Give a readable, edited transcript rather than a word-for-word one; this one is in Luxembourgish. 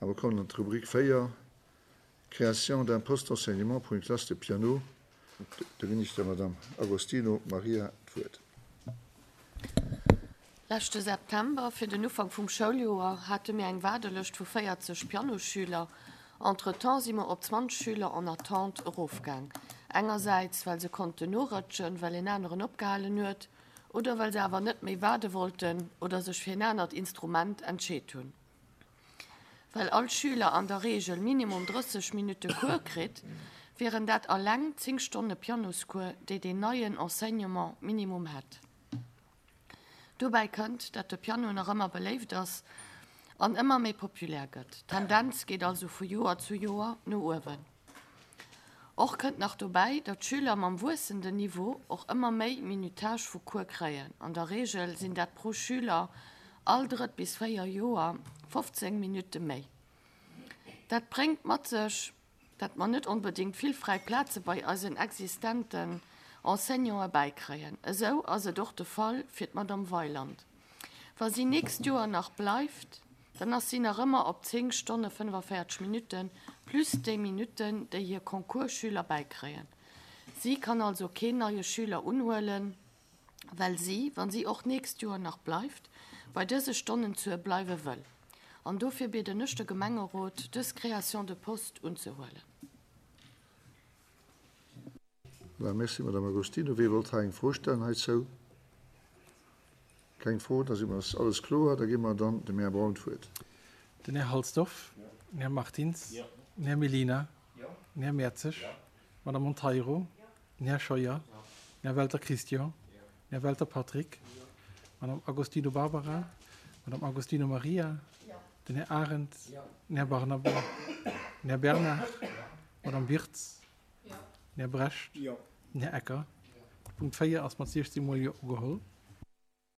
A mer kommen an d'Rubrik 4, Création d'un poste d'enseignement pour une classe de piano. Do ginn ech der Madame Agostino Maria d'Wuert. Leschte September, fir den Ufank vum Schouljoer, hate mir eng Waardelëscht vu 40 Pianosschüler. Entretemps si mer op 20 Schüler en attente erofgaang. Engersäits, well se konnten norëtschen, well en aneren opgehalen huet, oder well se awer net méi waarde wollten oder sech fir en anert Instrument entscheet hunn. Well all Schüler an der Reegel minimum 30 Minutte Cours kritt, wieren dat alleng 10 Stonne Pianoscours, déi deen neien Enseignement minimum hätt. Dobäi kënnt, dat de Piano nach ëmmer beléift ass an ëmmer méi populär gëtt. D'Tendenz geet also vu Joer zu Joer no uewen. Och kënnt nach dobäi, datt d'Schüler mam wuessenden Niveau och ëmmer méi Minutage vu Cours kréien. An der Reegel sinn dat pro Schüler all drëtt bis 4 Joer 15 Minutte méi. Dat bréngt mat sech, dat mer net onbedéngt vill fräi Plaze bei eisen existenten Enseignanten bäikréien. Esou ass et och de Fall fir d'Madame Weiland. Wa si nächst Joer nach bleift, dann ass si nach ëmmer op 10 Stonne 45 Minutten plus déi Minutten, déi hir Concours-Schüler bäikréien. Si kann also keen neie Schüler unhuelen, well si, wa si och nächst Joer nach bleift, bei dëse Stonnenzuel bleiwe wëll. An dofir bieden ech de Gemengerot, dës Création de poste unzehuelen. Voilà, merci, Madame Agostino. Wee wollt hei eng Fro stellen heizou? Keng Fro, da si mer, ass alles kloer. Da gi mer dann dem Här Braun d'Wuert. Den Här Halsdorf, den Här Martins, den Här Mellina, den Här Mertzig, d'Madame Monteiro, den Här Scheuer, den Här Welter Christian, den Här Welter Patrick, d'Madame Agostino Barbara, d'Madame Agostino Maria, den Här Arendt, den Här Barnabé, den Här Bernard, d'Madame Wirtz, Den Här Brecht. Den Här Ecker. De Punkt 4 ass mat 16 mol Jo ugeholl.